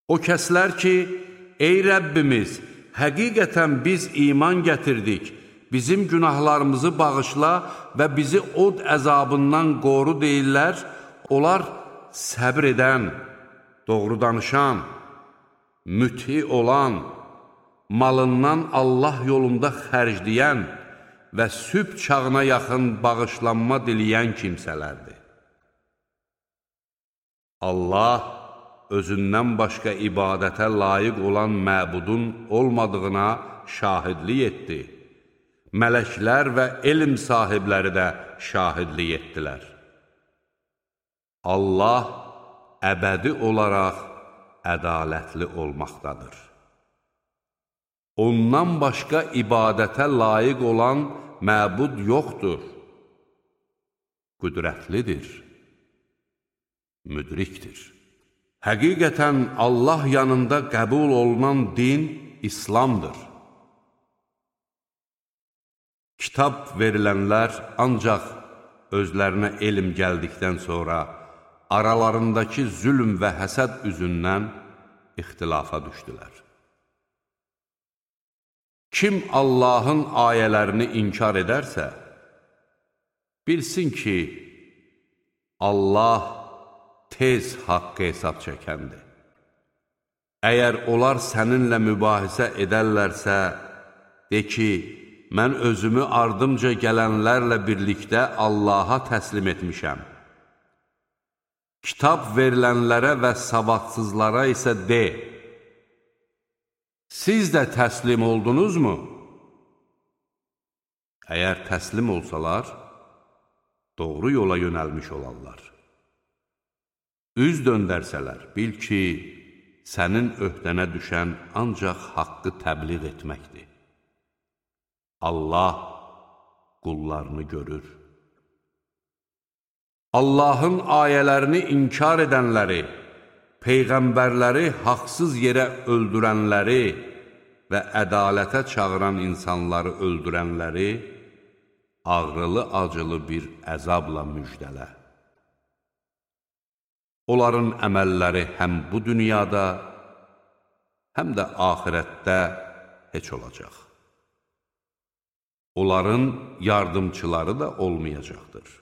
O kəslər ki, ey Rəbbimiz, həqiqətən biz iman gətirdik, bizim günahlarımızı bağışla və bizi od əzabından qoru deyirlər, onlar səbr edən, doğru danışan, müti olan, malından Allah yolunda xərcləyən və sübh çağına yaxın bağışlanma diləyən kimsələrdir. Allah özündən başqa ibadətə layiq olan məbudun olmadığına şahidlik etdi. Mələklər və elm sahibləri də şahidlik etdilər. Allah əbədi olaraq ədalətli olmaqdadır. Ondan başqa ibadətə layiq olan məbud yoxdur. Qüdrətlidir, müdrikdir. Həqiqətən Allah yanında qəbul olunan din İslamdır. Kitab verilənlər ancaq özlərinə elm gəldikdən sonra aralarındakı zülm və həsəd üzündən ixtilafa düşdülər. Kim Allahın ayələrini inkar edərsə, bilsin ki, Allah tez haqqı hesab çəkəndir. Əgər onlar səninlə mübahisə edərlərsə, de ki, mən özümü ardımca gələnlərlə birlikdə Allaha təslim etmişəm. Kitab verilənlərə və savadsızlara isə de, siz də təslim oldunuzmu? Əgər təslim olsalar, doğru yola yönəlmiş olarlar. Üz döndərsələr, bil ki, sənin öhdənə düşən ancaq haqqı təbliğ etməkdir. Allah qullarını görür. Allahın ayələrini inkar edənləri, peyğəmbərləri haqsız yerə öldürənləri və ədalətə çağıran insanları öldürənləri ağrılı-acılı bir əzabla müjdələ. Onların əməlləri həm bu dünyada, həm də axirətdə heç olacaq. Onların yardımçıları da olmayacaqdır.